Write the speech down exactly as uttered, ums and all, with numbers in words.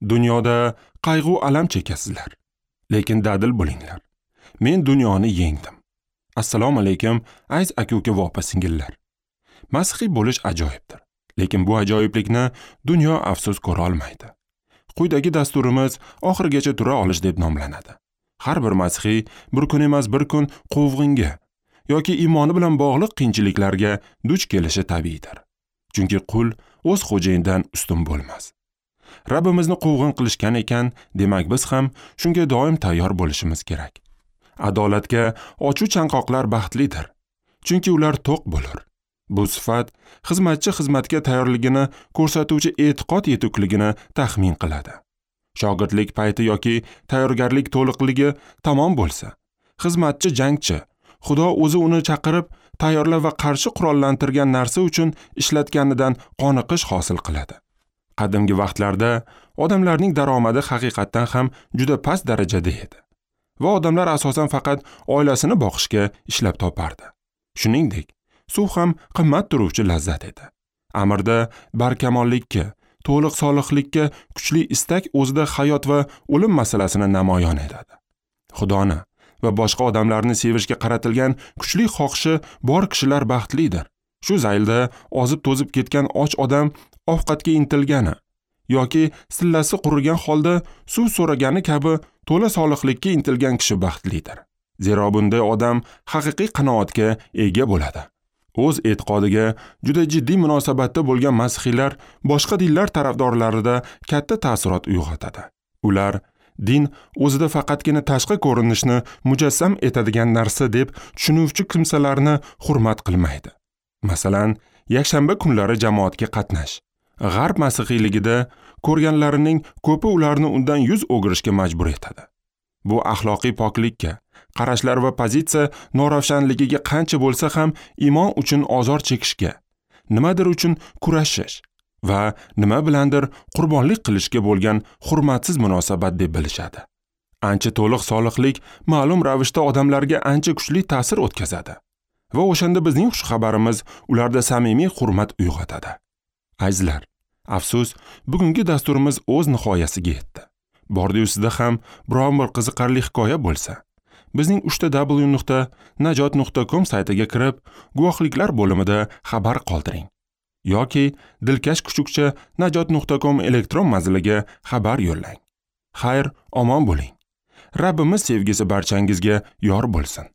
Dunyoda qayg'u alam chekasizlar, lekin dadil bo'linglar. Men dunyoni yengdim. Assalomu alaykum, aziz aka-uka va opa-singillar. Masihiy bo'lish ajoyibdir, lekin bu ajoyiblikni dunyo afsus ko'ra olmaydi. Quyidagi dasturimiz oxirigacha tura olish deb nomlanadi. Har bir masihiy bir kun emas bir kun quvg'inga yoki iymoni bilan bog'liq qiyinchiliklarga duch kelishi tabiiydir. Chunki qul o'z xo'jayinidan ustun bo'lmas. Rabbimizni quvg'in qilishgan ekan, demak biz ham shunga doim tayyor bo'lishimiz kerak. Adolatga ochuv chanqoqlar baxtlidir, chunki ular to'q bo'lur. Bu sifat xizmatchi xizmatga tayyorligini ko'rsatuvchi e'tiqod yetukligini taxmin qiladi. Shogirdlik payti yoki tayyorgarlik to'liqligi tamom bo'lsa, xizmatchi jangchi, Xudo o'zi uni chaqirib, tayyorlab va qarshi qurollantirgan narsa uchun ishlatganidan qoniqish hosil qiladi. Qadimgi vaqtlarda odamlarning daromadi haqiqatdan ham juda past darajada edi va odamlar asosan faqat oilasini boqishga ishlab topardi. Shuningdek, suv ham qimmat turuvchi lazzat edi. Amirda barkamollikka, to'liq solihlikka kuchli istak o'zida hayot va o'lim masalasini namoyon etadi. Xudoni va boshqa odamlarni sevishga qaratilgan kuchli xohishi bor kishilar baxtlidir. Shu zaylda ozib to'zib ketgan och odam ovqatga intilgani yoki sillasi qurigan holda suv so'ragani kabi to'la solihlikka intilgan kishi baxtlidir. Zero bunday odam haqiqiy qanoatga ega bo'ladi. O'z e'tiqodiga juda jiddiy munosabatda bo'lgan masihiylar boshqa dinlar tarafdorlarida katta ta'sirot uyg'otadi. Ular din o'zida faqatgina tashqi ko'rinishni mujassam etadigan narsa deb tushunuvchi kimsalarni hurmat qilmaydi. Masalan, yakshanba kunlari jamoatga qatnash. G'arb masihiyligida ko'rganlarining ko'pi ularni undan yuz o'girishga majbur etadi. Bu axloqiy poklikka, qarashlar va pozitsiya noravshanligiga qancha bo'lsa ham iymon uchun ozor chekishga, nimadir uchun kurashish va nima bilandir qurbonlik qilishga bo'lgan hurmatsiz munosabat deb bilishadi. Ancha to'liq solihlik ma'lum ravishda odamlarga ancha kuchli ta'sir o'tkazadi va o'shanda bizning xushxabarimiz ularda samimiy hurmat uyg'otadi. Azizlar, afsus, bugungi dasturimiz o'z nihoyasiga yetdi. Bordi-yu sizda ham biron bir qiziqarli hikoya bo'lsa, bizning uchta w nuqta najot nuqta com saytiga kirib, guvohliklar bo'limida xabar qoldiring yoki dilkash kuchukcha najot nuqta com elektron manziliga xabar yo'llang. Xayr, omon bo'ling. Rabbimiz sevgisi barchangizga yor bo'lsin.